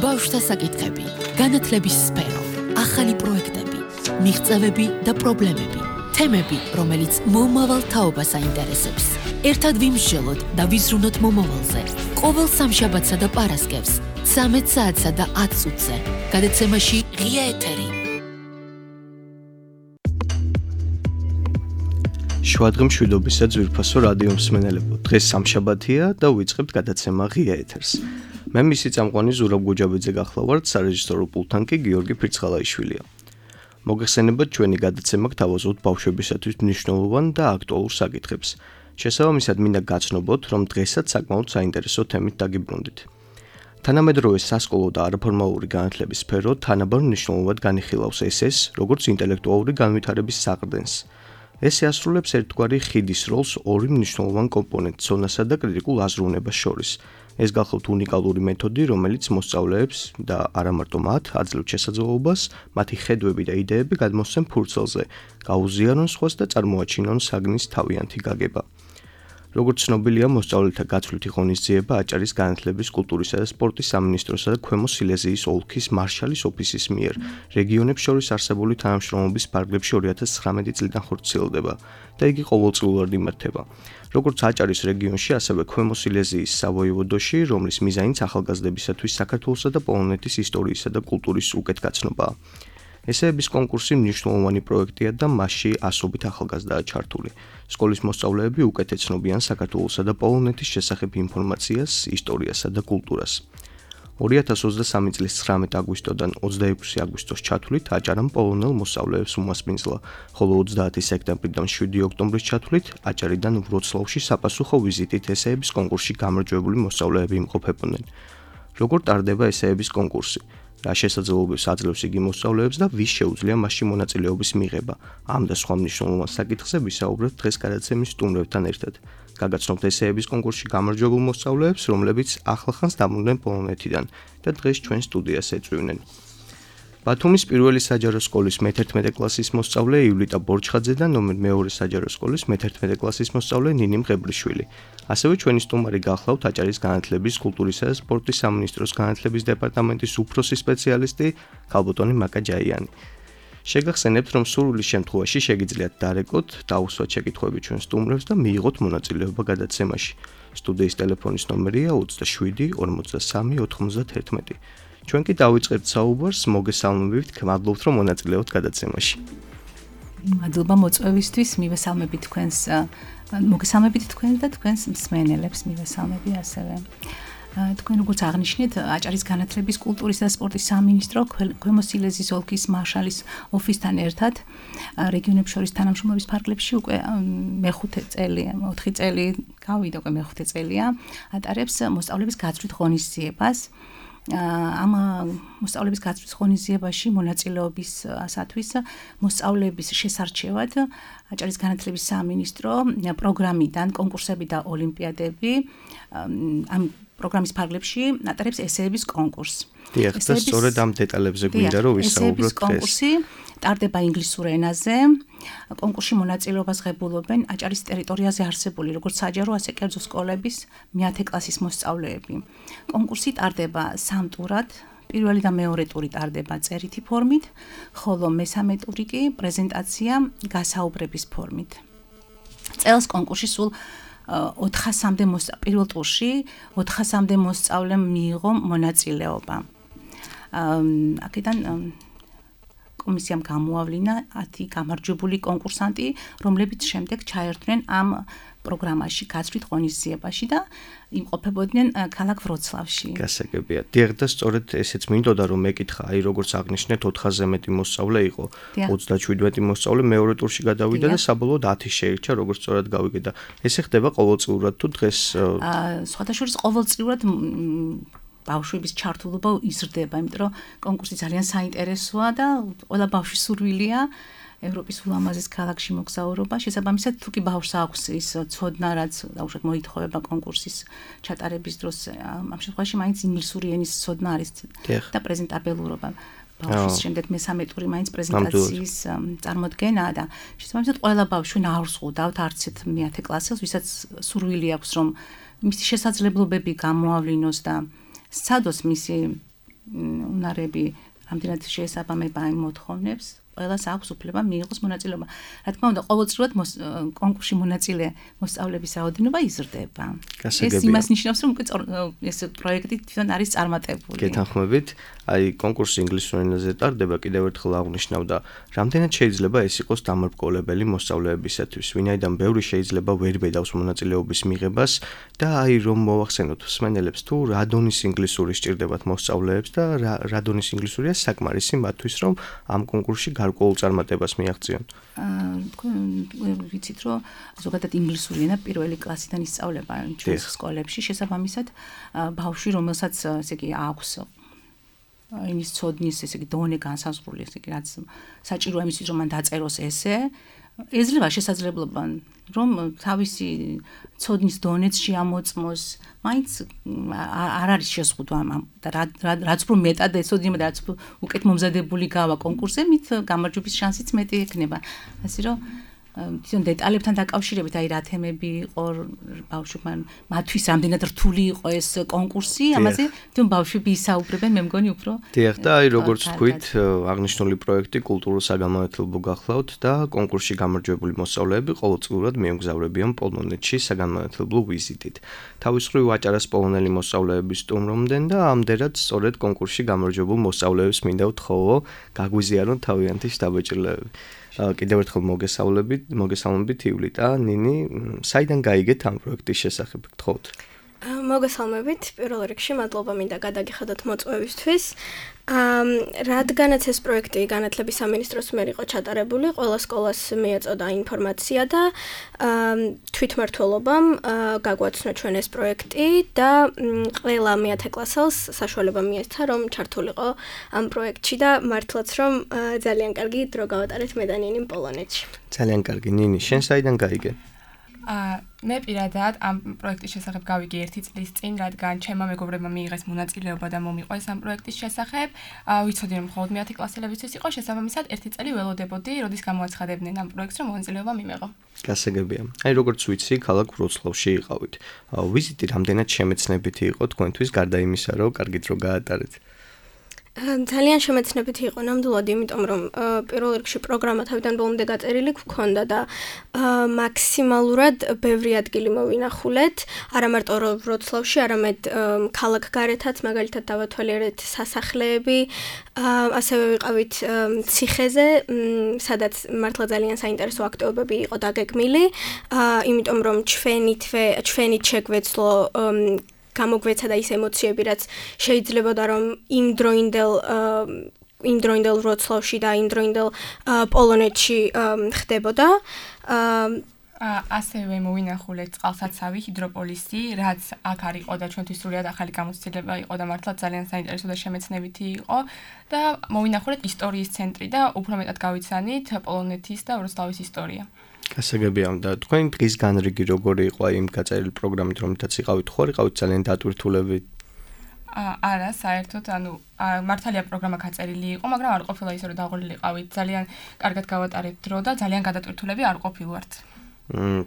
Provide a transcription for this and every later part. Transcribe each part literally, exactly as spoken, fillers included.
ბავშვთა საკითხები, განათლების სფერო, ახალი პროექტები, მიღწევები და პრობლემები, თემები, რომელიც მომავალ თაობას აინტერესებს. ერთად ვიმსჯელოთ და ვიზრუნოთ მომავალზე. ყოველ სამშაბათსა და პარასკევს, ცამეტ საათსა და ათ წუთზე. გადაცემაში ღია ეთერი. შვადღი მშვიდობისა ძვირფასო რადიო მსმენელებო, დღეს სამშაბათია და ვიწყებთ გადაცემა ღია ეთერს. მე მისი წამყვანი ზურაბ გუჯაბიძე გახლავართ, სარეჟისორო პულტთან კი გიორგი ფირცხალაიშვილია. მოგეხსენებათ ჩვენი გადაცემა გთავაზობთ ბავშვებისათვის მნიშვნელოვან და აქტუალურ საკითხებს. შესაბამისად მინდა გაცნობოთ, რომ დღესაც საკმაოდ საინტერესო თემით დაგიბრუნდით. თანამედროვე სასკოლო და არაფორმალური განათლების სფერო თანაბარ მნიშვნელოვნად განიხილავს ეს-ეს, როგორც ინტელექტუალური განვითარების საყრდენს. ეს ასრულებს ერთგვარი ხიდის როლს ორი მნიშვნელოვან კომპონენტს, ზონასა და კრიტიკულ აზროვნებას შორის. ეს გახლავთ უნიკალური მეთოდი, რომელიც მოსწავლეებს და არა მარტო მათ აძლევთ შესაძლებლობას, მათი ხედვები და იდეები გადმოსცემ ფურცელზე, გაუზიარონ სხვას და წარმოაჩინონ საგნის თავიანთი გაგება. როგორც ცნობილია, მოსწავლეთა გაცვლითი ღონისძიება აჭარის განათლების, კულტურისა და სპორტის სამინისტროსა და ქვემო სილეზიის ოლქის მარშალის ოფისის მიერ რეგიონებს შორის არსებული თანამშრომლობის ფარგლებში ორი ათას ცხრამეტი წლიდან ხორციელდება და იგი ყოველწლიურად იმართება. როგორც აჭარის რეგიონში, ასევე ქვემო სილეზიის სავოევოდოში, რომლის მიზანიც ახალგაზრდებისათვის საქართველოსა და პოლონეთის ისტორიისა და კულტურის უკეთგაცნობაა. ესეების კონკურსი მნიშვნელოვანი პროექტია და მასში ასობით ახალგაზრდაა ჩართული. სკოლის მოსწავლეები უკეთად ცნობიან საქართველოსა და პოლონეთის შესახებ ინფორმაციას, ისტორიასა და კულტურას. ორი ათას ოცდასამი წლის ცხრამეტი აგვისტოდან ოცდაექვსი აგვისტოს ჩათვლით აჭარამ პოლონელ მოსწავლეებს უმასპინძლა, ხოლო ოცდაათი სექტემბრიდან შვიდი ოქტომბრის ჩათვლით აჭარიდან ვროცლავში საპასუხო ვიზიტით ესეების კონკურსში გამარჯვებული მოსწავლეები იმყოფებოდნენ. როგორ ტარდება ესეების კონკურსი? რა შესაძლებლობებს აძლევს იგი მოსწავლეებს და ვის შეუძლია მასში მონაწილეობის მიღება? ამ და სხვა მნიშვნელოვან საკითხზე ვისაუბრებთ დღეს გადაცემის სტუმრებთან ერთად. გაგაცნობთ ესეების კონკურსში გამარჯვებულ მოსწავლეებს, რომლებიც ახლახანს დაბრუნდნენ პოლონეთიდან და დღეს ჩვენ სტუდიას ეწვივნენ. ბათუმის პირველი საჯარო სკოლის მეთერთმეტე კლასის მოსწავლე ივლიტა ბორჩხაძე და ნომერ მეორე საჯარო სკოლის მეთერთმეტე კლასის მოსწავლე ნინი მღებრიშვილი. ასევე ჩვენი სტუმარი გახლავთ აჭარის განათლების, კულტურისა და სპორტის სამინისტროს განათლების დეპარტამენტის უფროსი სპეციალისტი ქალბატონი მაკა ჯაიანი. შეგახსენებთ, რომ სურვილის შემთხვევაში შეგიძლიათ დარეკოთ, დაუსვათ შეკითხვები ჩვენ სტუმრებს და მიიღოთ მონაწილეობა გადაცემაში. სტუდიის ტელეფონის ნომერია ოცდაშვიდი ორმოცდასამი ოთხმოცდათერთმეტი. ჩვენ კი დავიწყებთ საუბარს, მოგესალმებით, მადლობთ, რომ მონაწილეობთ გადაცემაში. მადლობა მოწვევისთვის, მივესალმებით თქვენს, მოგესალმებით თქვენს და თქვენს მსმენელებს მივესალმები ასევე. თქვენ როგორც აღნიშნეთ, აჭარის განათლების, კულტურის და სპორტის სამინისტრო ქვემო სილეზიის ოლქის მარშალის ოფისთან ერთად რეგიონებს შორის თანამშრომლობის ფარგლებში უკვე მეხუთე წელი, ოთხი წელი გავიდა, უკვე მეხუთე წელია, ატარებს მოსწავლეების გაცვლით ღონისძიებას. ამ მოსწავლეების გაცვლის ღონისძიებაში მონაწილეობისათვის მოსწავლეების შესარჩევად აჭარის განათლების სამინისტრო პროგრამიდან კონკურსები და ოლიმპიადები ამ პროგრამის ფარგლებში ატარებს ესეების კონკურსს. დიახ, და სწორედ ამ დეტალებზე გვინდა რომ ვისაუბროთ დღეს. კონკურსი ტარდება ინგლისურ ენაზე. კონკურსში მონაწილეობას ღებულობენ აჭარის ტერიტორიაზე არსებული როგორც საჯარო, ასე კერძო სკოლების მეათე კლასის მოსწავლეები. კონკურსი ტარდება სამ ტურად. პირველი და მეორე ტური ტარდება წერითი ფორმით, ხოლო მესამე ტური კი პრეზენტაცია გასაუბრების ფორმით. წელს კონკურსში სულ ოთხასამდე პირველ ტურში ოთხასამდე მოსწავლემ მიიღო მონაწილეობა. აქედან კომისიამ გამოავლინა ათი გამარჯვებული კონკურსანტი, რომლებიც შემდეგ ჩაერთვნენ ამ პროგრამაში, გაცვლით ღონისძიებაში და იმყოფებოდნენ ქალაქ ვროცლავში. გასაგებია. დიახ, და სწორედ ესეც მინდოდა რომ მეკითხა, აი როგორც აღნიშნეთ, ოთხასზე მეტი მოსწავლე იყო, ოცდაშვიდი მეტი მოსწავლე მეორე ტურში გადავიდა და საბოლოოდ ათი შეირჩა, როგორც სწორად გავიგე და ესე ხდება ყოველწლიურად თუ დღეს სხვადასხვა ყოველწლიურად ბავშვების ჩართულობა იზრდება, იმიტომ რომ კონკურსი ძალიან საინტერესოა და ყველა ბავშვის სურვილია ევროპის ულამაზეს ქალაქში მოგზაურობა. შესაბამისად, თუ კი ბავშვს აქვს ის ცოდნა, რაც დაუშვათ მოითხოვება კონკურსის ჩატარების დროს, ამ შემთხვევაში მაინც ინგლისური ენის ცოდნა არის და პრეზენტაბელურობა. ბავშვის შემდეგ მესამე ტური მაინც პრეზენტაციის წარმოდგენაა და შესაბამისად, ყველა ბავშვი ნაურს ხვდავთ არცეთ მეათე კლასელს, ვისაც სურვილი აქვს, რომ მისი შესაძლებლობები გამოავლინოს და სცადოს მისი უნარები რამდენად შეესაბამება იმ მოთხოვნებს, ყველას აქვს უფლება მიიღოს მონაწილეობა. Რა თქმა უნდა, ყოველწლიურად კონკურსში მონაწილე მოსწავლეების რაოდენობა იზრდება. ეს იმას ნიშნავს, რომ უკვე ეს პროექტი თვითონ არის წარმატებული. გეთანხმებით, აი კონკურსი ინგლისურ ენაზე ტარდება, კიდევ ერთხელ აღნიშნავ და რამდენად შეიძლება ეს იყოს დამარბგოლებელი მოსწავლეებისათვის, ვინაიდან ბევრი შეიძლება ვერ ბედავს მონაწილეობის მიღებას და აი რომ მოვახსენოთ მსმენელებს თუ რა დონის ინგლისური სჭირდებათ მოსწავლეებს და რა დონის ინგლისურია საკმარისი მათთვის, რომ ამ კონკურსში გარკვეულ წარმატებას მიაღწიონ. აა ვიცით რომ ზოგადად ინგლისური ენა პირველი კლასიდან ისწავლება ჩვენს სკოლებში, შესაბამისად ბავშვი რომელსაც ესე იგი აქვს იმის ცოდნის ესე იგი დონე განსაზღვრული ესე იგი რაც საჭიროა იმისთვის რომ მან დაწეროს ესე ეძლევა შესაძლებლობა რომ თავისი ცოდნის დონეც შეამოწმოს, მაინც არ არის შეზღუდვა და რაც უფრო მეტად ეცოდინება და რაც უკეთ მომზადებული გავა კონკურსზე, მით გამარჯვების შანსიც მეტი ექნება. ასე რომ თვითონ დეტალებთან დაკავშირებით, აი რა თემები იყო ბავშვებმა, მათთვის რამდენად რთული იყო ეს კონკურსი, ამაზე თვითონ ბავშვები ისაუბრებენ, მე მგონი უფრო. დიახ, და აი როგორც თქვით, აღნიშნული პროექტი კულტურულ საგანმანათლებლო გახლავთ და კონკურსში გამარჯვებული მოსწავლეები ყოველწლიურად მიემგზავრებიან პოლონეთში საგანმანათლებლო ვიზიტით. თავის მხრივ აჭარას პოლონელი მოსწავლეების სტუმრობდნენ და ამდენად სწორედ კონკურსში გამარჯვებულ მოსწავლეებს მინდა ვთხოვო, გაგვიზიარონ თავიანთი შთაბეჭდილებები. კიდევ ერთხელ მოგესალმებით, მოგესალმებით ივლიტა, ნინი, საიდან გაიგეთ ამ პროექტის შესახებ, გთხოვთ? მოგესალმებით, პირველ რიგში მადლობა მინდა გადაგიხადოთ მოწვევისთვის. რადგანაც ეს პროექტი განათლების სამინისტროს მიერ იყო ჩატარებული, ყველა სკოლას მიეწოდა ინფორმაცია და თვითმმართველობამ გაგვაცნო ჩვენ ეს პროექტი და ყველა მეათე კლასელს საშუალება მიეცა, რომ ჩართულიყო ამ პროექტში და მართლაც რომ ძალიან კარგი დრო გავატარეთ მე და ნინი პოლონეთში. ძალიან კარგი, ნინი, შენ საიდან გაიგე? აა მე პირადად ამ პროექტის შესახებ გავიგე ერთი წლის წინ, რადგან ჩემმა მეგობრებმა მიიღეს მონაწილეობა და მომიყვეს ამ პროექტის შესახებ. აა ვიცოდი რომ მხოლოდ მეათე კლასელებისთვის იყო, შესაბამისად ერთი წელი ველოდებოდი, როდის გამოაცხადებდნენ ამ პროექტს, რომ მონაწილეობა მიმეღო. გასაგებია. აი როგორც ვიცი, ქალაქ ვროცლავში იყავით. ვიზიტი რამდენად შემეცნებითი იყო თქვენთვის, გარდა იმისა, რომ კარგით რო გაატარეთ? ძალიან შემეცნებითი იყო ნამდვილად, იმიტომ რომ პირველ რიგში პროგრამა თავიდან ბოლომდე გაწერილი გვქონდა და მაქსიმალურად ბევრი ადგილი მოვინახულეთ, არა მარტო ვროცლავში, არამედ ქალაქ გარეთაც, მაგალითად დავათვალიერეთ სასახლეები, ასევე ვიყავით ციხეზე, სადაც მართლა ძალიან საინტერესო აქტივობები იყო დაგეგმილი, იმიტომ რომ ჩვენით ჩვენით შეგვეცლო გამოგვეცა და ის ემოციები, რაც შეიძლებოდა რომ იმ დროინდელ იმ დროინდელ ვროცლავში და იმ დროინდელ პოლონეთში ხდებოდა. ასევე მოვინახულეთ წყალსაცავი ჰიდროპოლისი, რაც აქ არ იყო და ჩვენთვის სრულად ახალი გამოცდილება იყო და მართლა ძალიან საინტერესო და შემეცნებითი იყო და მოვინახულეთ ისტორიის ცენტრი და უფრო მეტად გავიცანით პოლონეთის და ვროცლავის ისტორია. გასაგებია და თქვენი დღის განრიგი როგორი იყო იმ გაწერილი პროგრამით, რომლითაც იყავით, ხო იყავით ძალიან დატვირთულებით? არა, საერთოდ, ანუ მართალია პროგრამა გაწერილი იყო, მაგრამ არ ყოფილა ისე რომ დაღოლილი იყავით. ძალიან კარგად გავატარეთ დრო და ძალიან გადატვირთულები არ ყოფილვართ.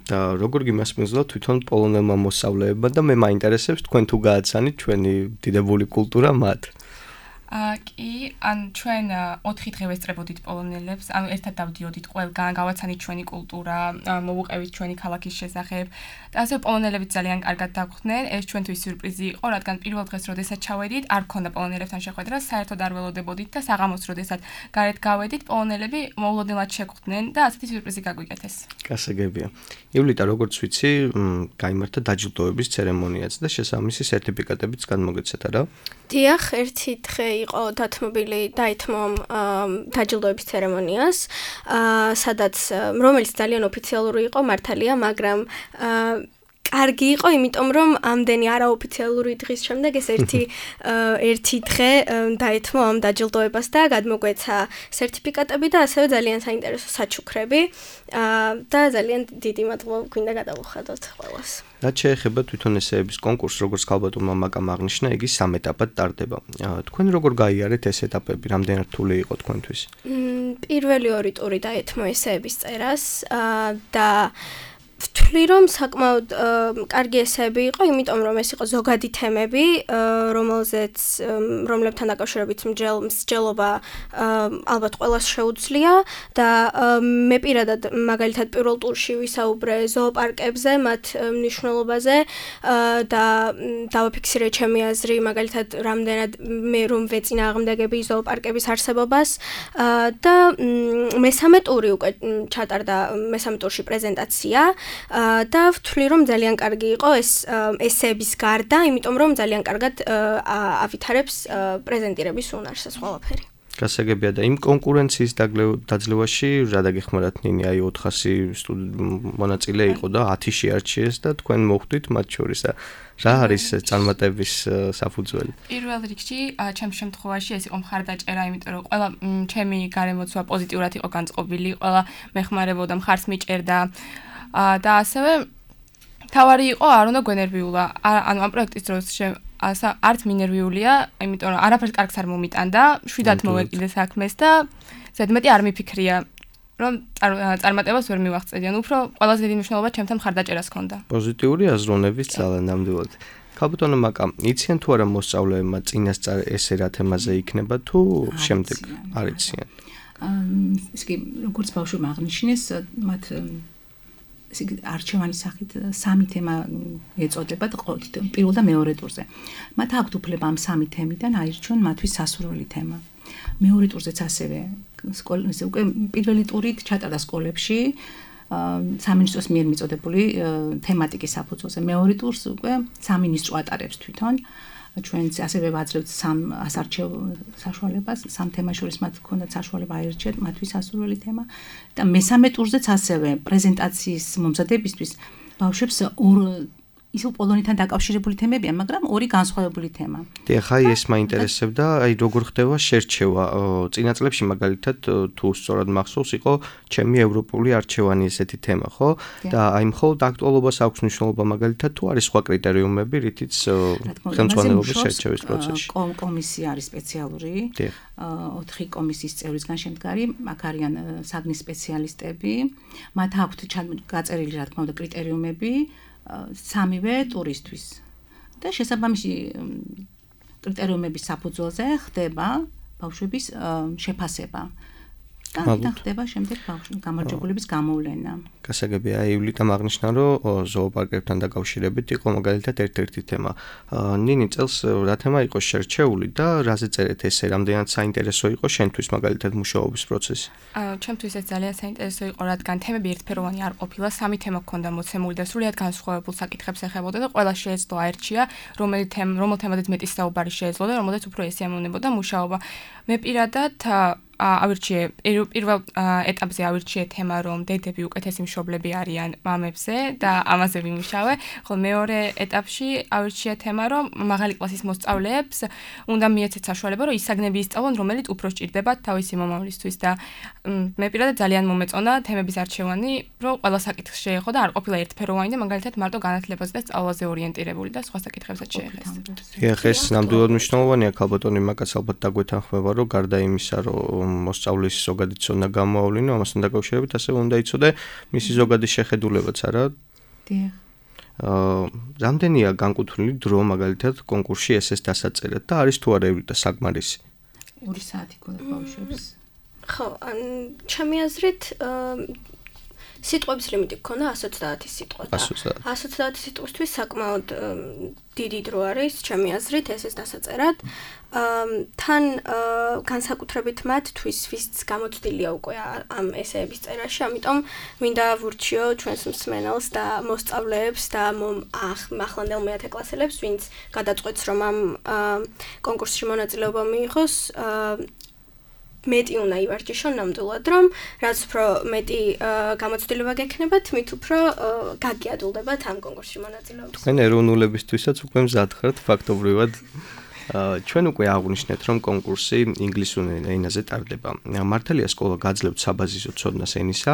და როგორ გიმასპინძლა თვითონ პოლონელმა მოსწავლეებმა და მე მაინტერესებს თქვენ თუ გააცანით ჩვენი დიდებული კულტურა მათ? აა კი, ან ჩვენ ოთხი დღე ვესწრებოდით პოლონელებს, ანუ ერთად დავდიოდით ყველგან, გავაცანით ჩვენი კულტურა, მოვუყევით ჩვენი ქალაქის შესახებ და ასე პოლონელები ძალიან კარგად დაგვხდნენ. ეს ჩვენთვის სიურპრიზი იყო, რადგან პირველ დღეს როდესაც ჩავედით, არ გქონდა პოლონელებთან შეხვედრა, საერთოდ არ ველოდებოდით და საღამოს როდესაც გარეთ გავედით, პოლონელები მოულოდნელად შეხვდნენ და ასეთი სიურპრიზი გაგვიკეთეს. გასაგებია. ივლიტა, როგორც ვიცი, გაიმართა დაჯილდოების ცერემონიაც და შესაბამისი სერტიფიკატებიც განმოგეცეთ, არა? დიახ, ერთი დღე იყო დათმობილი დაითმო დაჯილდოების ცერემონიას, სადაც რომელიც ძალიან ოფიციალური იყო, მართალია, მაგრამ კარგი იყო, იმიტომ რომ ამდენი არაოფიციალური დღის შემდეგ ეს ერთი ერთი დღე დაითმო ამ დაჯილდოებას და გადმოგვეცა სერტიფიკატები და ასევე ძალიან საინტერესო საჩუქრები და ძალიან დიდი მადლობა გვინდა გადავუხადოთ ყველას. რაც შეეხება თვითონ ესეების კონკურსს, როგორც ქალბატონმა მაკამ აღნიშნა, იგი სამ ეტაპად ტარდება. თქვენ როგორ გაიარეთ ეს ეტაპები, რამდენად რთული იყო თქვენთვის? პირველი ორი ტური დაეთმო ესეების წერას და ვთვლი რომ საკმაოდ კარგი ესეები იყო, იმიტომ რომ ეს იყო ზოგადი თემები, რომელზეც რომლებთან დაკავშირებით მსჯელობა ალბათ ყველას შეუძლია და მე პირადად მაგალითად პირველ ტურში ვისაუბრე ზოოპარკებზე, მათ მნიშვნელობაზე და დავაფიქსირე ჩემი აზრი მაგალითად რამდენად მე რომ ვეწინააღმდეგები ზოოპარკების არსებობას და მესამე ტური უკვე ჩატარდა მესამე ტურში პრეზენტაცია და ვთვლი რომ ძალიან კარგი იყო ეს ესეების გარდა, იმიტომ რომ ძალიან კარგად ავითარებს პრეზენტირების უნარს ყველაფერი. გასაგებია და იმ კონკურენციის დაძლევაში რა დაგეხმარათ ნინი, აი ოთხასი მონაწილე იყო და ათი შეარჩიეს და თქვენ მოხვდით მათ შორის და რა არის წარმატების საფუძველი? პირველ რიგში ჩემს შემთხვევაში ეს იყო მხარდაჭერა, იმიტომ რომ ყველა ჩემი გარემოცვა პოზიტიურად იყო განწყობილი, ყველა მეხმარებოდა, მხარს მიჭერდა და ასევე თავარი იყო არ უნდა გვენერვიულა, ანუ ამ პროექტის დროს არც მინერვიულია, იმიტომ რომ არაფერს კარგს არ მომიტანდა, შვიდად მოვეკიდე საქმეს და ზედმეტი არ მიფიქრია, რომ წარმატებას ვერ მივაღწევი, ანუ უფრო ყველაზე დიდი მნიშვნელობა ჩემთან მხარდაჭერას ჰქონდა. პოზიტიური აზროვნების ძალა ნამდვილად. ქალბატონო მაკა, იციან თუ არა მოსწავლეებმა წინასწარ ესე რა თემაზე იქნება თუ შემდეგ არ იციან? ის კი როგორც ბავშვებმა აღნიშნეს, მათ არჩევანის სახით სამი თემა ეწოდება პირველ და მეორე ტურზე. მათ აქვთ უფლება ამ სამი თემიდან აირჩიონ მათთვის სასურველი თემა. მეორე ტურზეც ასევე სკოლაზე უკვე პირველი ტურით ჩატარდა სკოლებში სამინისტროს მიერ მიწოდებული თემატიკის საფუძველზე. მეორე ტურს უკვე სამინისტრო ატარებს თვითონ. ჩვენც ასევე ვაძლევთ სამ ასარჩევ საშუალებას, სამ თემას შორის მათ ჰქონდათ საშუალება აირჩიათ მათთვის სასურველი თემა და მესამე ტურზეც ასევე პრეზენტაციის მომზადებისთვის ბავშვებს ორ ისო პოლონეთთან დაკავშირებული თემებია, მაგრამ ორი განსხვავებული თემა. დიახ, აი ეს მაინტერესებდა, აი როგორ ხდება შერჩევა. წინა წლებში მაგალითად თუ სწორად მახსოვს, იყო ჩემი ევროპული არჩევანი ესეთი თემა, ხო? და აი მხოლოდ აქტუალობას აქვს მნიშვნელობა მაგალითად თუ არის სხვა კრიტერიუმები, რითიც ხელმძღვანელობის შერჩევის პროცესში. კომისია არის სპეციალური. ოთხი კომისიის წევრისგან შემდგარი, აქ არიან საგნის სპეციალისტები, მათ აქვთ გაწერილი რა თქმა უნდა კრიტერიუმები სამივე ტურისთვის და შესაბამისი კრიტერიუმების საფუძველზე ხდება ბავშვების შეფასება და ხდება შემდეგ ბავშვების გამარჯვებულების გამოვლენა. გასაგებია, ივლიტამ აღნიშნა, რომ ზოოპარკებთან დაკავშირებით იყო მაგალითად ერთ-ერთი თემა. ნინი წელს რა თემა იყო შერჩეული და რაზე წერეთ ესე, რამდენად საინტერესო იყო შენთვის მაგალითად მუშაობის პროცესი? ჩემთვის ეს ძალიან საინტერესო იყო, რადგან თემები ერთფეროვანი არ ყოფილა, სამი თემა ჰქონდა მოცემული და სრულიად განსხვავებულ საკითხებს ეხებოდა და ყველა შეეძლო აერჩია, რომელი თემა, რომელ თემაზეც მეტი საუბარი შეეძლო და რომელზეც უფრო ესიამოვნებოდა მუშაობა. მე პირადად ავირჩიე პირველ ეტაპზე ავირჩიე თემა, რომ დედები უკეთესი მშობლები არიან მამებზე და ამაზე ვიმუშავე, ხოლო მეორე ეტაპში ავირჩიე თემა, რომ მაღალი კლასის მოსწავლეებს უნდა მიეცეთ საშუალება, რომ ის საგნები ისწავლონ, რომელიც უფრო სჭირდებათ თავისი მომავლისთვის და მე პირადად ძალიან მომეწონა თემების არჩევანი, რომ ყველა საკითხს შეეხო და არ ყოფილა ერთფეროვანი და მაგალითად მარტო განათლებაზე და სწავლაზე ორიენტირებული და სხვა საკითხებსაც შეეხეს. დიახ, ეს ნამდვილად მნიშვნელოვანია, ქალბატონი მაკაც ალბათ დაგვეთანხმება, რომ გარდა იმისა, რომ მოსწავლის ზოგადი ცოდნა გამოავლინო, ამასთან დაკავშირებით ასევე უნდა იცოდე მისი ზოგადი შეხედულებაც, არა? დიახ. აა, რამდენია განკუთვნილი დრო მაგალითად კონკურსში ესეს დასაწერად და არის თუ არა ევლითა საკმარისი? ორი საათი ქონდა ბავშვებს. ხო, ან ჩემი აზრით სიტყვების ლიმიტი გქონდა ათი ოცდაათი სიტყვა და ათი ოცდაათი სიტყვისთვის საკმაოდ დიდი დრო არის, ჩემი აზრით, ესეს დასაწერად. თან განსაკუთრებით მათთვის, ვინც გამოცდილია უკვე ამ ესეების წერაში, ამიტომ მინდა ვურჩიო ჩვენს მსმენელს და მოსწავლეებს და ახლანდელ მეათე კლასელებს, ვინც გადაწყვეტს, რომ ამ კონკურსში მონაწილეობა მიიღოს, მეტი უნდა ივარჯიშონ ნამდვილად, რომ რაც უფრო მეტი გამოცდილება გექნებათ, მით უფრო გაგიადულდებათ ამ კონკურსში მონაწილეობას. თქვენ ეროვნულებისთვისაც უკვე მზად ხართ ფაქტობრივად. ჩვენ უკვე აღვნიშნეთ, რომ კონკურსი ინგლისურ ენაზე ტარდება. მართალია სკოლა გაძლევთ საბაზისო ცოდნას ენისა,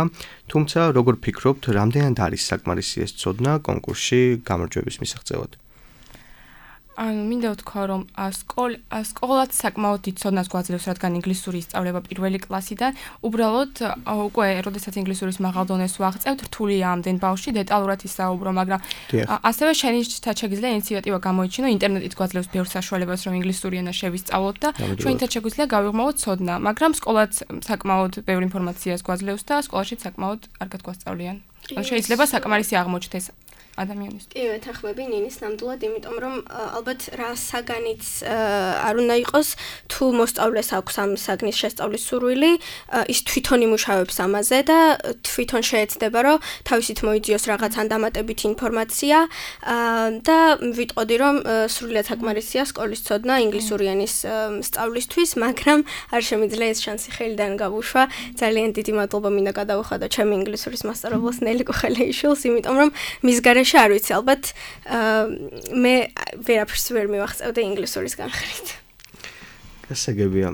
თუმცა როგორ ფიქრობთ, რამდენად არის საკმარისი ეს ცოდნა კონკურსში გამარჯვების მისაღწევად? ანუ მინდა ვთქვა, რომ სკოლ სკოლაც საკმაოდ დიდ ცოდნას გვაძლევს, რადგან ინგლისური ისწავლება პირველი კლასიდან. უბრალოდ უკვე როდესაც ინგლისურის მაღალ დონეს ვაღწევთ, რთულია ამდენ ბავშვი დეტალურად ისაუბრო, მაგრამ ასევე შენითაც შეგვიძლია ინიციატივა გამოიჩინო, ინტერნეტით გვაძლევს ბევრ საშუალებას, რომ ინგლისური ენა შევისწავლოთ და ჩვენითაც შეგვიძლია გავიღმოთ ცოდნა, მაგრამ სკოლაც საკმაოდ ბევრ ინფორმაციას გვაძლევს და სკოლაში საკმაოდ კარგად გვასწავლიან. შეიძლება საკმარისი აღმოჩნდეს ადამიანის. კი, მეთანხმები ნინის ნამდვილად, იმიტომ რომ ალბათ რა საგანიც არ უნდა იყოს, თუ მოსწავლეს აქვს ამ საგნის შესწავლის სურვილი, ის თვითონ იმუშავებს ამაზე და თვითონ შეეცდება, რომ თავისით მოიძიოს რაღაც ან დამატებითი ინფორმაცია და ვიტყოდი, რომ სრულიად საკმარისია სკოლის ცოდნა ინგლისური ენის სწავლისთვის, მაგრამ არ შემიძლია ეს შანსი ხელიდან გავუშვა. ძალიან დიდი მადლობა მინდა გადავუხადო ჩემი ინგლისურის მასწავლებლს ნელი კუხელეიშვილს, იმიტომ რომ მის გარეშე არ ვიცი, ალბათ მე ვერაფერს ვერ მივახწევდი ინგლისურის განხრით. გასაგებია.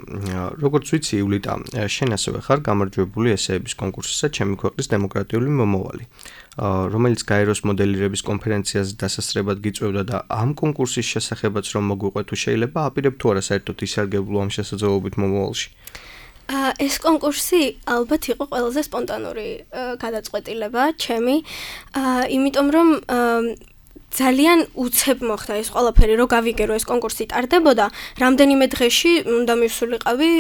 როგორც ვიცი, ივლიტა, შენ ასევე ხარ გამარჯვებული ესეების კონკურსისა ჩემი ქვეყნის დემოკრატიული მომავალი, რომელიც გაეროს მოდელირების კონფერენციაზე დასასწრებად გიწევდა და ამ კონკურსის შესახებაც რომ მოგვიყვე თუ შეიძლება აპირებ თუ არა საერთოდ ისარგებლო ამ შესაძლებლობით მომავალში. ეს კონკურსი ალბათ იყო ყველაზე სპონტანური გადაწყვეტილება ჩემი, იმიტომ რომ ძალიან უცებ მოხდა ეს ყველაფერი, რომ გავიგერო ეს კონკურსი ტარდებოდა, რამდენიმე დღეში უნდა მივსულიყავი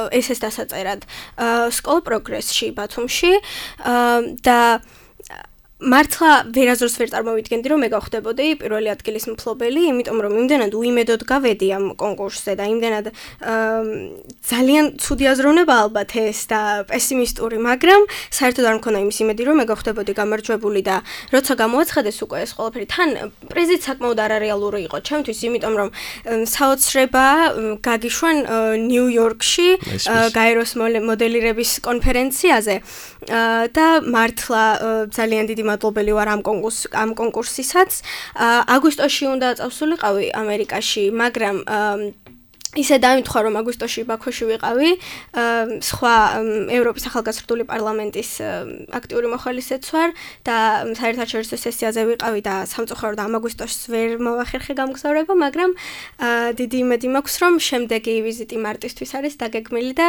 ესეს დასაწერად სკოლ პროგრესში ბათუმში და მართლა ვერაზრს ვერ წარმოვიდგენდი, რომ მე გავხდებოდი პირველი ადგილის მფლობელი, იმიტომ რომ იმდენად უიმედოდ გავედი ამ კონკურსზე და იმდენად ძალიან ცუდი აზროვნება ალბათ ეს და პესიმისტური, მაგრამ საერთოდ არ მქონდა იმის იმედი, რომ მე გავხდებოდი გამარჯვებული და როცა გამოაცხადეს უკვე ეს ყველაფერი, თან პრიზიც საკმაოდ არარეალური იყო ჩემთვის, იმიტომ რომ საოცრება გაგიშვან ნიუ-იორკში გაეროს მოდელირების კონფერენციაზე და მართლა ძალიან დიდი მადლობელი ვარ ამ კონკურს ამ კონკურსისაც. აგვისტოში უნდა წავსულიყავი ამერიკაში, მაგრამ ისე დაიმთხვა, რომ აგვისტოში ბაქოში ვიყავი, სხვა ევროპის ახალგაზრდული პარლამენტის აქტიური მოხალისეც ვარ და საერთაშორისო სესიაზე ვიყავი და სამწუხაროდ ამ აგვისტოში ვერ მოვახერხე გამგზავრება, მაგრამ დიდი იმედი მაქვს, რომ შემდეგი ვიზიტი მარტისთვის არის დაგეგმილი და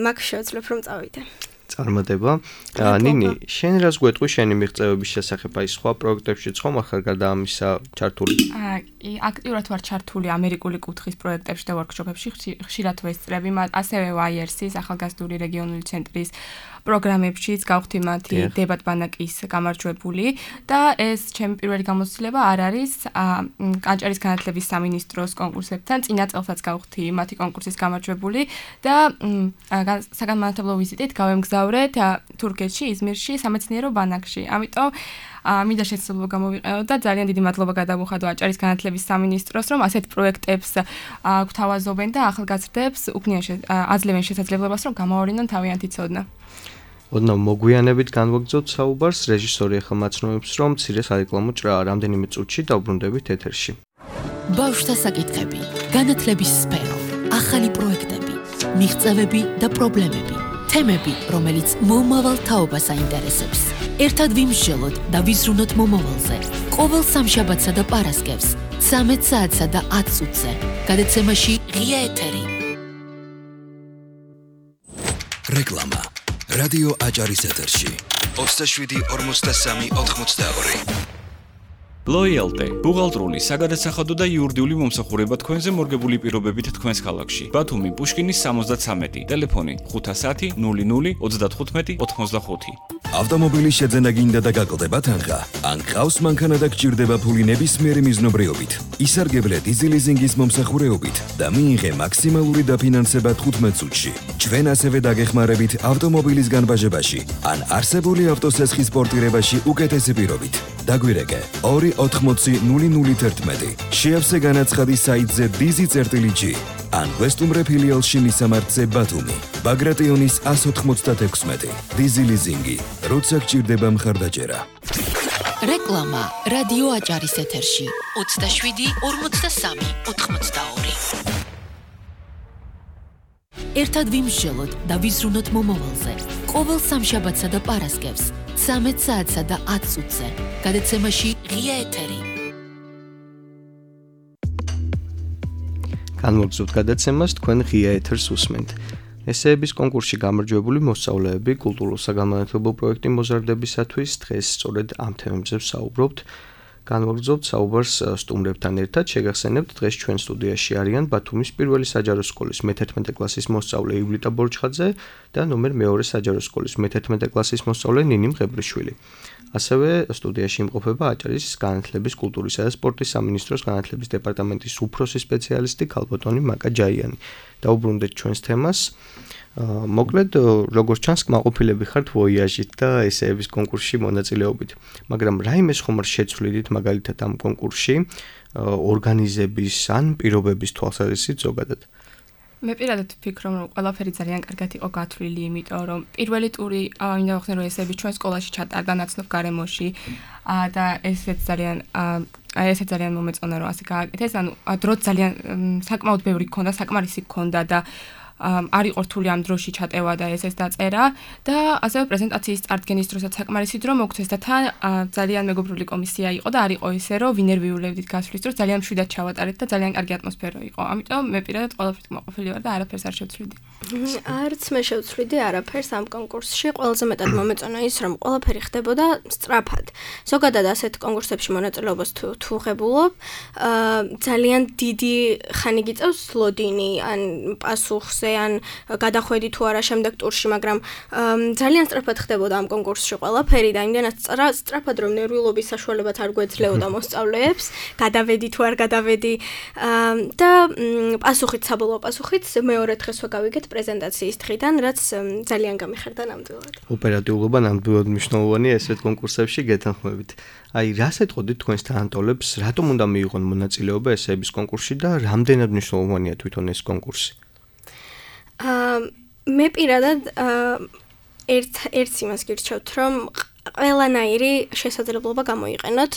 მაგ შევძლებ რომ წავიდე. წარმატება. ნინი, შენ რას გვეტყვი შენი მიღწევების შესახებ აი სხვა პროექტებშიც ხომ ახლა გარდა ამისა ჩართული? აი, აქტიურად ვარ ჩართული ამერიკული კუთხის პროექტებში და ვორქშოპებში, ხშირად ვესწრები, ასევე ვაი არ სის ახალგაზრდული რეგიონული ცენტრის პროგრამებშიც გავხდი მათი დებატ-ბანაკის გამარჯვებული და ეს ჩემი პირველი გამოცდილება არ არის კანჭარის განათლების სამინისტროს კონკურსებთან, წინა წელსაც გავხდი მათი კონკურსის გამარჯვებული და საგანმანათლებლო ვიზიტით გავემგზავრე თურქეთში, იზმირში, სამეცნიერო ბანაკში. ამიტომ მინდა შესაძლებლობა გამოვიყენო და ძალიან დიდი მადლობა გადავუხადო აჭარის განათლების სამინისტროს, რომ ასეთ პროექტებს გვთავაზობენ და ახალგაზრდებს უქმნიან აძლევენ შესაძლებლობას, რომ გამოვარდნონ თავიანთი ცოდნა. ოდნავ მოგვიანებით განვაგრძოთ საუბარს, რეჟისორი ახლა მაცნობებს, რომ მცირე სარეკლამო ჭრაა რამდენიმე წუთში დავბრუნდებით ეთერში. ბავშვთა საკითხები, განათლების სფერო, ახალი პროექტები, მიღწევები და პრობლემები, თემები, რომელიც მომავალ თაობას აინტერესებს. ერთად ვიმსჯელოთ და ვიზრუნოთ მომავალზე. ყოველ სამშაბათსა და პარასკევს, ცამეტ საათსა და ათ წუთზე, გადაცემაში ღია ეთერი. რეკლამა. რადიო აჭარის ეთერში. ოცდაშვიდი ორმოცდასამი ოთხმოცდაორი. Loyalty, ბუღალტრული, საგადასახადო და იურიდიული მომსახურება თქვენზე მორგებული პირობებით თქვენს ქალაქში. ბათუმი, პუშკინის სამოცდაცამეტი, ტელეფონი ხუთას ათი ნული ნული ოცდათხუთმეტი ოთხმოცდახუთი. ავტომობილის შეძენა გინდა და გაკლდება თანხა? ან ყავს მანქანა და გჭირდება ფული ნებისმიერი მიზნობრიობით? ისარგებლე დიზი ლიზინგის მომსახურეობით და მიიღე მაქსიმალური დაფინანსება თხუთმეტ წუთში. ჩვენ ასევე დაგეხმარებით ავტომობილის განბაჟებაში ან არსებული ავტოსესხის პორტირებაში უკეთესი პირობით. დაგვირეკე ორი ოთხმოცი ნული ნული თერთმეტი. შეავსე განაცხადი საიტზე დიზი წერტილი ან გვესტუმრე ფილიალში მისამართზე ბათუმი. ბაგრატიონის ას ოთხმოცდათექვსმეტი. დიზი ლიზინგი. როცა გჭირდება მხარდაჭერა. რეკლამა რადიო აჭარის ეთერში. ოცდაშვიდი ორმოცდასამი ოთხმოცდაორი. ერთად ვიმსჯელოთ და ვიზრუნოთ მომავალზე. ყოველ სამშაბათსა და პარასკევს, ცამეტ საათსა და ათ წუთზე, გადაცემაში ღია ეთერი. განმოგზავნოთ გადაცემას თქვენ ღია ეთერს უსმენთ. ესეების კონკურსში გამარჯვებული მოსწავლეები კულტურულ-საგანმანათლებლო პროექტი მოზარდებისათვის დღეს სწორედ ამ თემებზე ვსაუბრობთ. განვაგრძობთ საუბარს სტუმრებთან ერთად. შეგახსენებთ, დღეს ჩვენ სტუდიაში არიან ბათუმის პირველი საჯარო სკოლის მეთერთმეტე კლასის მოსწავლე ივლიტა ბორჩხაძე და ნომერ მეორე საჯარო სკოლის მეთერთმეტე კლასის მოსწავლე ნინი მღებრიშვილი. ასევე სტუდიაში იმყოფება აჭარის განათლების, კულტურისა და სპორტის სამინისტროს განათლების დეპარტამენტის უფროსი სპეციალისტი ქალბატონი მაკა ჯაიანი. დაუბრუნდეთ ჩვენს თემას. მოკლედ, როგორც ჩანს, კმაყოფილები ხართ ვოიაჟით და ესეების კონკურსში მონაწილეობით. მაგრამ რაიმეს ხომ არ შეცვლიდით მაგალითად ამ კონკურსში ორგანიზების ან პირობების თვალსაზრისით ზოგადად? მე პირადად ვფიქრობ, რომ ყველაფერი ძალიან კარგად იყო გათვლილი, იმიტომ რომ პირველი ტური მინდა ვახსენო, რომ ესეები ჩვენ სკოლაში ჩატარდა ნაცნობ გარემოში და ესეც ძალიან აი ესე ძალიან მომეწონა, რომ ასე გააკეთეს. ანუ დრო ძალიან საკმაოდ ბევრი გქონდა, საკმარისი გქონდა და არ იყო რთული ამ დროში ჩატევა და ესეც დაწერა და ასევე პრეზენტაციის წარდგენის დროსაც საკმარისი დრო მოგცეს და თან ძალიან მეგობრული კომისია იყო და არ იყო ისე რომ ვინერვიულებდით გასვლის დროს ძალიან მშვიდად ჩავატარეთ და ძალიან კარგი ატმოსფერო იყო. ამიტომ მე პირადად ყველაფრით მოყოფილი ვარ და არაფერს არ შევცვლიდი. არც მე შევცვლიდი არაფერს ამ კონკურსში. ყველაზე მეტად მომეწონა ის, რომ ყველაფერი ხდებოდა სწრაფად. ზოგადად ასეთ კონკურსებში მონაწილეობას თუ თუ ღებულობ, ძალიან დიდი ხანი გიწევს ლოდინი ან პასუხს ან გადახვედი თუ არა შემდეგ ტურში, მაგრამ ძალიან სწრაფად ხდებოდა ამ კონკურსში ყველაფერი და იმდენად სწრაფად რომ ნერვიულობის საშუალებაც არ გვეძლეოდა მოსწავლეებს, გადავედი თუ არ გადავედი და პასუხით საბოლოო პასუხით მეორედ დღეს ვაგავიგეთ პრეზენტაციის დღიდან, რაც ძალიან გამიხარდა ნამდვილად. ოპერატიულობა ნამდვილად მნიშვნელოვანია ესეთ კონკურსებში გეთანხმებით. აი, რას ეტყოდით თქვენს თანატოლებს, რატომ უნდა მიიღონ მონაწილეობა ესეების კონკურსში და რამდენად მნიშვნელოვანია თვითონ ეს კონკურსი? მე პირადად ერთ ერთს იმას გირჩევთ, რომ ყველანაირი შესაძლებლობა გამოიყენოთ.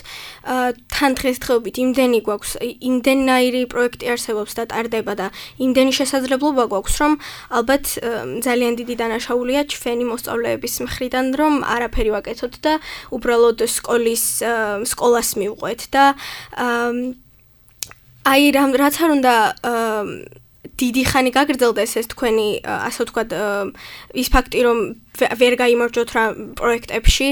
თან დღესდღეობით იმდენი გვაქვს, იმდენაირი პროექტი არსებობს და ტარდება და იმდენი შესაძლებლობა გვაქვს, რომ ალბათ ძალიან დიდი დანაშაულია ჩვენი მოსწავლეების მხრიდან, რომ არაფერი ვაკეთოთ და უბრალოდ სკოლის სკოლას მივყვეთ და აი რაც არ უნდა დიდი ხანი გაგრძელდეს ეს თქვენი, ასე ვთქვათ, ის ფაქტი, რომ ვერ გაიმარჯვოთ რა პროექტებში,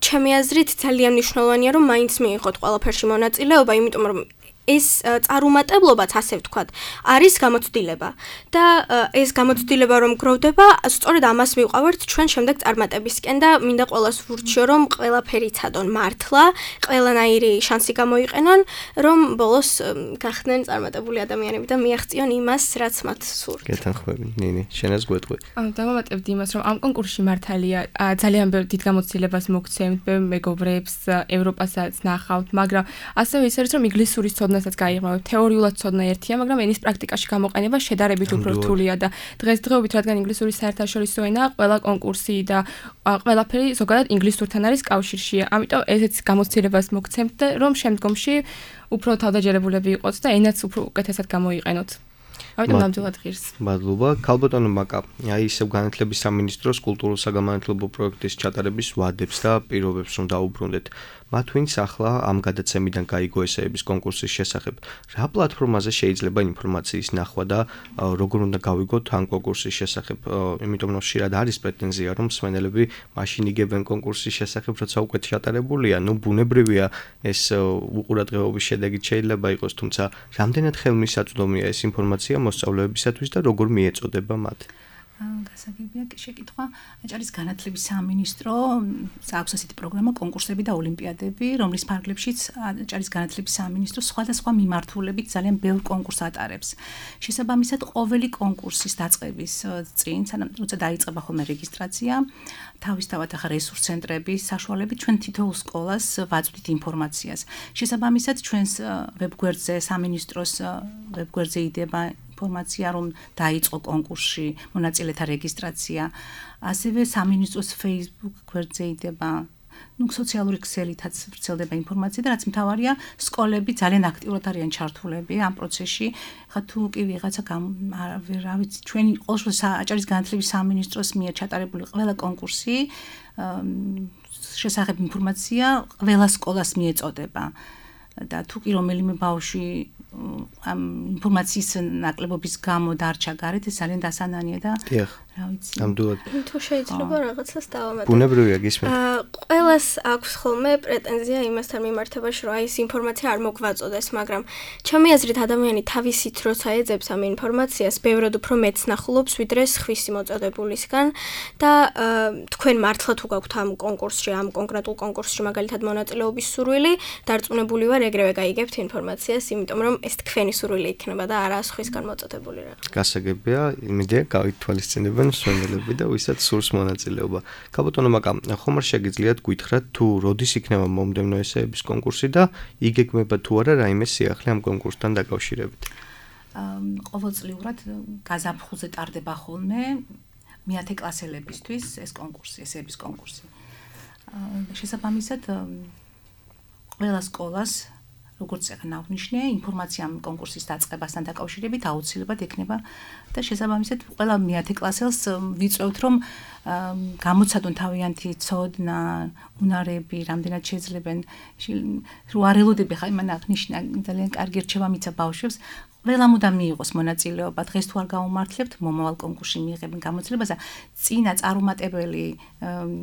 ჩემი აზრით ძალიან მნიშვნელოვანია, რომ მაინც მიიღოთ ყველაფერში მონაწილეობა, იმიტომ რომ ეს წარუმატებლობაც, ასე ვთქვათ, არის გამოცდილება და ეს გამოცდილება რომ გროვდება, სწორედ ამას მივყავართ ჩვენ შემდეგ წარმატებისკენ და მინდა ყველას ვურჩიო, რომ ყველაფერი ცადონ მართლა, ყველანაირი შანსი გამოიყენონ, რომ ბოლოს გახდნენ წარმატებული ადამიანები და მიაღწიონ იმას, რაც მათ სურთ. გეთანხმები, ნინი, შენაც გვეტყვი. ანუ დავამატებდი იმას, რომ ამ კონკურსში მართალია ძალიან დიდ გამოცდილებას მოგცემთ, ბევრ მეგობრებს ევროპასაც ნახავთ, მაგრამ ასევე ის არის, რომ ინგლისურის ცოდნასაც გაიღმავებთ. თეორიულად ცოდნა ერთია, მაგრამ ენის პრაქტიკაში გამოყენება შედარებით უფრო რთულია და დღესდღეობით, რადგან ინგლისური საერთაშორისო ენაა, ყველა კონკურსი და ყველაფერი ზოგადად ინგლისურთან არის კავშირში. ამიტომ ესეც გამოცდილებას მოგცემთ, რომ შემდგომში უფრო თავდაჯერებულები იყოთ და ენაც უფრო უკეთესად გამოიყენოთ. ამიტომ ნამდვილად ღირს. მადლობა. ქალბატონო მაკა, აი ისევ განათლების სამინისტროს კულტურულ-საგანმანათლებლო პროექტის ჩატარების ვადებს და პირობებს რომ დაუბრუნდეთ. მათ ვინც ახლა ამ გადაცემიდან გაიგო ესეების კონკურსის შესახებ, რა პლატფორმაზე შეიძლება ინფორმაციის ნახვა და როგორ უნდა გავიგოთ ამ კონკურსის შესახებ, იმიტომ რომ ხშირად არის პრეტენზია, რომ მსმენელები მაშინ იგებენ კონკურსის შესახებ, როცა უკვე ჩატარებულია, ну ბუნებრივია ეს უყურადღებობის შედეგით შეიძლება იყოს, თუმცა რამდენად ხელმისაწვდომია ეს ინფორმაცია მოსწავლეებისათვის და როგორ მიეწოდება მათ? გასაგებია შეკითხვა. აჭარის განათლების სამინისტრო აქვს ასეთი პროგრამა კონკურსები და ოლიმპიადები, რომლის ფარგლებშიც აჭარის განათლების სამინისტრო სხვადასხვა მიმართულებით ძალიან ბევრ კონკურსს ატარებს. შესაბამისად, ყოველი კონკურსის დაწყების წინ, სანამ როცა დაიწყება ხოლმე რეგისტრაცია, თავისთავად ახლა რესურს ცენტრების საშუალებით ჩვენ თითოეულ სკოლას ვაწვდით ინფორმაციას. შესაბამისად, ჩვენს ვებგვერდზე, სამინისტროს ვებგვერდზე იდება ინფორმაცია, რომ დაიწყო კონკურსში მონაწილეთა რეგისტრაცია. ასევე სამინისტროს Facebook გვერდზე იდება, ну, სოციალური ქსელითაც ვრცელდება ინფორმაცია და რაც მთავარია, სკოლები ძალიან აქტიურად არიან ჩართულები ამ პროცესში. ხა თუ კი ვიღაცა რა ვიცი, ჩვენი ყოველთვის აჭარის განათლების სამინისტროს მიერ ჩატარებული ყველა კონკურსი შესახებ ინფორმაცია ყველა სკოლას მიეწოდება. და თუ კი რომელიმე ბავშვი ამ ინფორმაციის ნაკლებობის გამო დარჩა გარეთ, ეს ძალიან დასანანია და დიახ. რა ვიცი. ამდურად. თუ შეიძლება რაღაცას დავამატო. ბუნებრივია გისმენთ. აა ყველას აქვს ხოლმე პრეტენზია იმასთან მიმართებაში, რომ აი ეს ინფორმაცია არ მოგვაწოდეს, მაგრამ ჩემი აზრით ადამიანი თავისით როცა ეძებს ამ ინფორმაციას, ბევრად უფრო მეც ნახულობს, ვიდრე სხვისი მოწოდებულისგან და თქვენ მართლა თუ გაქვთ ამ კონკურსში, ამ კონკრეტულ კონკურსში მაგალითად მონაწილეობის სურვილი, დარწმუნებული ვარ, ეგრევე გაიგებთ ინფორმაციას, იმიტომ რომ ეს თქვენი სურვილი იქნება და არა სხვისგან მოწოდებული რაღაც. გასაგებია, იმედია გავითვალისწინებენ მსმენელები და ვისაც სურს მონაწილეობა. გაბატონო მაკა, ხომ არ შეგიძლიათ გითხრათ თუ როდის იქნება მომდევნო ესეების კონკურსი და იგეგმება თუ არა რაიმე სიახლე ამ კონკურსთან დაკავშირებით? ყოველწლიურად გაზაფხულზე ტარდება ხოლმე მეათე კლასელებისთვის ეს კონკურსი, ესეების კონკურსი. შესაბამისად ყველა სკოლას როგორც ახლა აღნიშნე, ინფორმაცია ამ კონკურსის დაწყებასთან დაკავშირებით აუცილებლად ექნება და შესაბამისად ყველა მეათე კლასელს ვიწევთ, რომ გამოცადონ თავიანთი ცოდნა, უნარები, რამდენად შეძლებენ, რო არ ელოდები ხა იმან აღნიშნა, ძალიან კარგი რჩევა მიცა ბავშვებს. ყველა მუდამ მიიღოს მონაწილეობა. დღეს თუ არ გაუმართლებთ, მომავალ კონკურსში მიიღებენ გამოცდილებას და წინა წარუმატებელი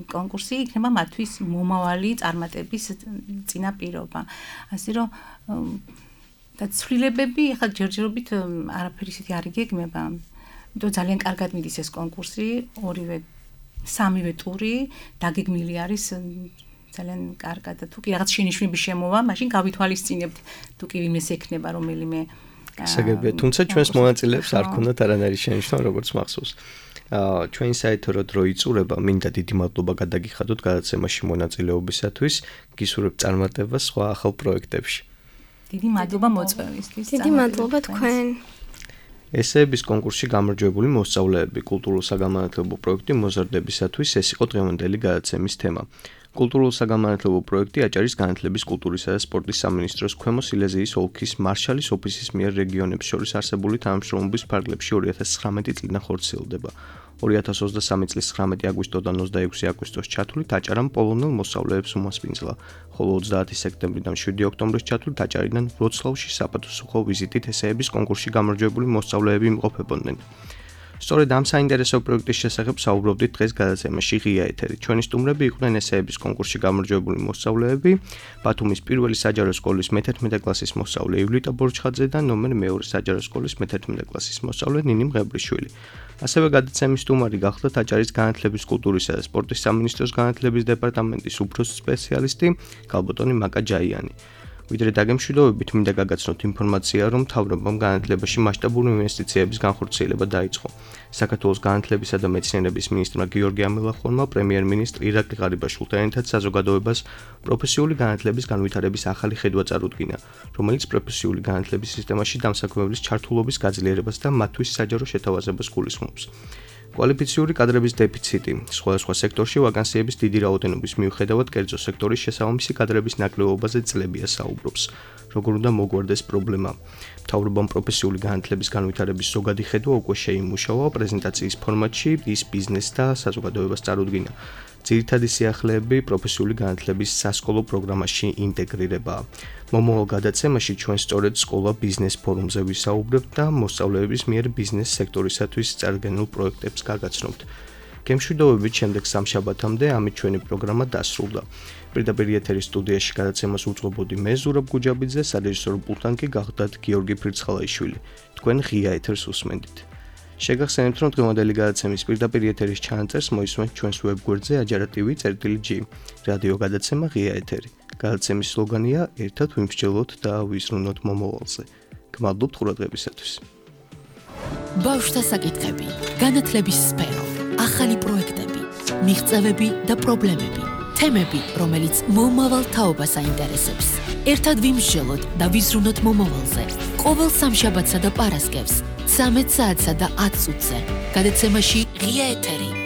კონკურსი იქნება მათთვის მომავალი წარმატების წინაპირობა. ასე რომ და ცვლილებები ახლა ჯერჯერობით არაფერი ისეთი არ იგეგმება. იმიტომ ძალიან კარგად მიდის ეს კონკურსი, ორივე სამივე ტური დაგეგმილი არის ძალიან კარგად და თუ კი რაღაც შენიშვნები შემოვა, მაშინ გავითვალისწინებთ თუ კი იმეს ექნება რომელიმე გასაგებია, თუმცა ჩვენს მონაწილეებს არ ქონდათ არანაირი შენიშვნა, როგორც მახსოვს. აა ჩვენ საერთოდ რო იწურება, მინდა დიდი მადლობა გადაგიხადოთ გადაცემაში მონაწილეობისათვის, გისურვებ წარმატებას სხვა ახალ პროექტებში. დიდი მადლობა მოწვევისთვის. დიდი მადლობა თქვენ. ესეების კონკურსში გამარჯვებული მოსწავლეები კულტურულ-საგანმანათლებლო პროექტი მოზარდებისათვის ეს იყო დღევანდელი გადაცემის თემა. კულტურულ-საგანმანათლებლო პროექტი აჭარის განათლების, კულტურისა და სპორტის სამინისტროს ქვემო სილეზიის ოლქის მარშალის ოფისის მიერ რეგიონებს შორის არსებული თანამშრომლობის ფარგლებში ორი ათას ცხრამეტი წლიდან ხორციელდება. ორი ათას ოცდასამი წლის ცხრამეტი აგვისტოდან ოცდაექვსი აგვისტოს ჩათვლით აჭარამ პოლონელ მოსწავლეებს უმასპინძლა, ხოლო ოცდაათი სექტემბრიდან შვიდი ოქტომბრის ჩათვლით აჭარიდან ვროცლავში საპატუსხო ვიზიტით ესეების კონკურსში გამარჯვებული მოსწავლეები იმყოფებოდნენ. სწორედ ამ საინტერესო პროექტის შესახებ საუბრობდით დღეს გადაცემაში ღია ეთერი. ჩვენი სტუმრები იყვნენ ესეების კონკურსში გამარჯვებული მოსწავლეები, ბათუმის პირველი საჯარო სკოლის მეთერთმეტე კლასის მოსწავლე ივლიტა ბორჩხაძე და ნომერ მეორე საჯარო სკოლის მეთერთმეტე კლასის მოსწავლე ნინი მღებრიშვილი. ასევე გადაცემის სტუმარი გახლდათ აჭარის განათლების, კულტურისა და სპორტის სამინისტროს განათლების დეპარტამენტის უფროსი სპეციალისტი გალბატონი მაკა ჯაიანი. ვიდრე დაგემშვიდობებით მინდა გაგაცნოთ ინფორმაცია, რომ მთავრობამ განათლებაში მასშტაბური ინვესტიციების განხორციელება დაიწყო. საქართველოს განათლებისა და მეცნიერების მინისტრმა გიორგი ამილახონმა პრემიერ-მინისტრ ირაკლი ღარიბაშვილთან ერთად საზოგადოებას პროფესიული განათლების განვითარების ახალი ხედვა წარუდგინა, რომელიც პროფესიული განათლების სისტემაში დამსაქმებლის ჩართულობის გაძლიერებას და მათთვის საჯარო შეთავაზებას გულისხმობს. კვალიფიციური კადრების დეფიციტი, სხვადასხვა სექტორში ვაკანსიების დიდი რაოდენობის მიუხედავად კერძო სექტორის შესაბამისი კადრების ნაკლებობაზე წლებია საუბრობს. როგორ უნდა მოგვარდეს პრობლემა? მთავრობამ პროფესიული განათლების განვითარების ზოგადი ხედვა უკვე შეიმუშავა პრეზენტაციის ფორმატში, ის ბიზნეს და საზოგადოებას წარუდგინა. ძირითადი სიახლეები პროფესიული განათლების სასკოლო პროგრამაში ინტეგრირებაა. მომავალ გადაცემაში ჩვენ სწორედ სკოლა ბიზნეს ფორუმზე ვისაუბრებთ და მოსწავლეების მიერ ბიზნეს სექტორისათვის წარდგენილ პროექტებს გაგაცნობთ. გემშვიდობებით შემდეგ სამშაბათამდე ამით ჩვენი პროგრამა დასრულდა. პირდაპირ ეთერის სტუდიაში გადაცემას უწყობოდი მე ზურაბ გუჯაბიძე, სარეჟისორო პულტთან კი გახლდათ გიორგი ფრიცხალაიშვილი. თქვენ ღია ეთერს უსმენთ. შეგახსენებთ, რომ დღევანდელი გადაცემის პირდაპირ ეთერის ჩანაწერს მოისმენთ ჩვენს ვებგვერდზე ajarativi.gi. რადიო გადაცემა ღია ეთერი. გადაცემის სლოგანია ერთად ვიმსჯელოთ და ვიზრუნოთ მომავალზე. გმადლობთ ყურადღებისათვის. ბავშვთა საკითხები, განათლების სფერო, ახალი პროექტები, მიღწევები და პრობლემები, თემები, რომელიც მომავალ თაობას აინტერესებს. ერთად ვიმსჯელოთ და ვიზრუნოთ მომავალზე. ყოველ სამშაბათსა და პარასკევს, ცამეტ საათსა და ათ წუთზე. გადაცემაში ღია ეთერი.